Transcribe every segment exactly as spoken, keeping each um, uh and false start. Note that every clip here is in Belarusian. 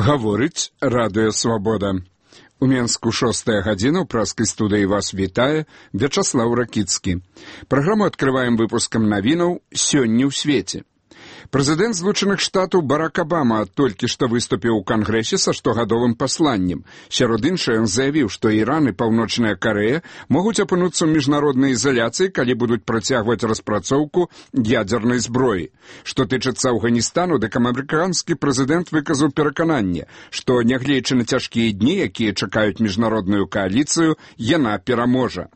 Гаворыць Радыё Свабода. У Менску шостая гадзіна, ў праскай студыі вас вітае Вячаслаў Ракіцкі. Праграму адкрываем выпускам навінаў «Сёння ў свеце». Прэзідэнт Злучаных Штатаў Барак Абама толькі што выступіў у Кангрэсе са штогадовым пасланнем. Сярод іншага, ён заявіў, што Іран і Паўночная Карэя могуць апынуцца ў міжнароднай изаляцыі, калі будуць працягваць распрацоўку ядзернай зброі. Што тычыцца Афганістану, дык амерыканскі прэзідэнт выказаў перакананне, што, нягледзячы на цяжкія дні, якія чакаюць міжнародную кааліцыю, яна пераможа.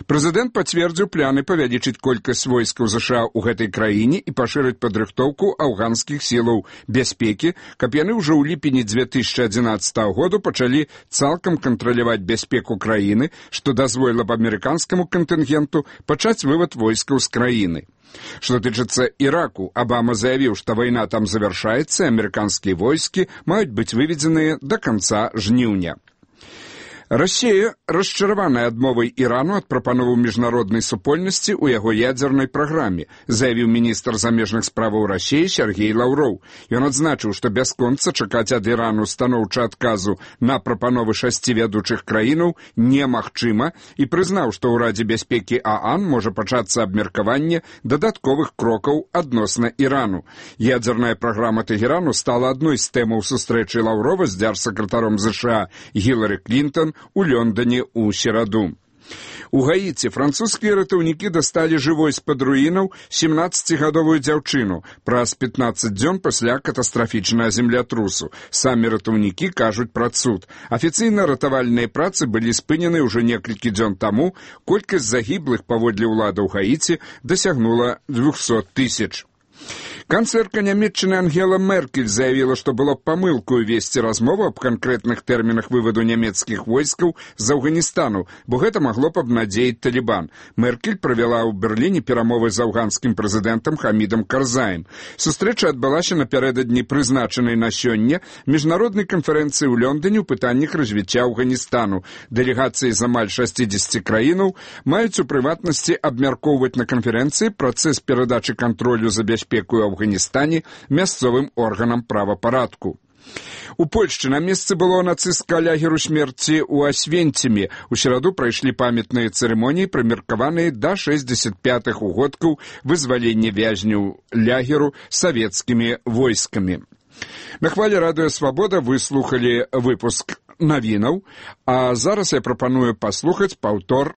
Прэзідэнт пацвердзіў планы павялічыць колькасць войскаў ЗША ў гэтай краіне і пашырыць падрыхтоўку афганскіх сілаў бяспекі, каб яны ўжо ў ліпені дзве тысячы адзінаццатага году пачалі цалкам кантраляваць бяспеку краіны, што дазволіла б амерыканскаму кантынгенту пачаць вывад войскаў з краіны. Што тычыцца Іраку, Абама заявіў, што вайна там завяршаецца, амерыканскія войскі маюць быць выведзеныя да канца жніўня. Расія расчараваная адмовай Ірану ад прапановаў міжнароднай супольнасці ў яго ядзернай праграме, заявіў міністр замежных справаў Расіі Сергей Лаўроў. Ён адзначыў, што бясконца чакаць ад Ірану станоўча адказу на прапановы шасці вядучых краінаў немагчыма і прызнаў, што ў Радзе бяспекі ААН можа пачацца абмеркаванне дадатковых крокаў адносна Ірану. Ядзерная праграма Тэгэрану стала адной з тэмаў сустрэчы Лаўрова з дзяржсакратаром ЗША Гілары Клінтон у Лондоне ў сераду. У Гаіці французскія ратаўнікі дасталі жывой з-пад руінаў семнаццацігадовую дзяўчыну праз пятнаццаць дзён пасля катастрафічнага землятрусу. Самі ратаўнікі кажуць пра цуд. Афіцыйна ратавальныя працы былі спынены ўжо некалькі дзён таму, колькасць загіблых паводле ўладаў Гаіці дасягнула двухсот тысяч. Канцлерка Нямецчыны Ангела Меркель заявіла, што было памылкаю весці размову аб канкрэтных тэрмінах вываду нямецкіх войскаў з Афганістану, бо гэта магло б абнадзеіць Талібан. Меркель правяла ў Берліне перамовы з афганскім прэзідэнтам Хамідам Карзаем. Сустрэча адбылася напярэдадні прызначанай на сёння міжнароднай канферэнцыі ў Лондоне ў пытаннях развіцця Афганістану. Дэлегацыі з амаль шасцідзесяці краінаў маюць у прыватнасці абмяркоўваць на канферэнцыі працэс перадачы кантролю за бяспеку ў Афганістане мясцовым органам правапарадку. У Польшчы на месцы было нацыстка лагеру смерці ў Асвенціме. У сераду прайшлі памятныя цырымоніі, прымеркаваныя да шэсцьдзесят пятых угодкаў вызвалення вязняў лагеру савецкімі войскамі. На хвале Радыё Свабода вы слухалі выпуск навінаў, а зараз я прапаную паслухаць паўтор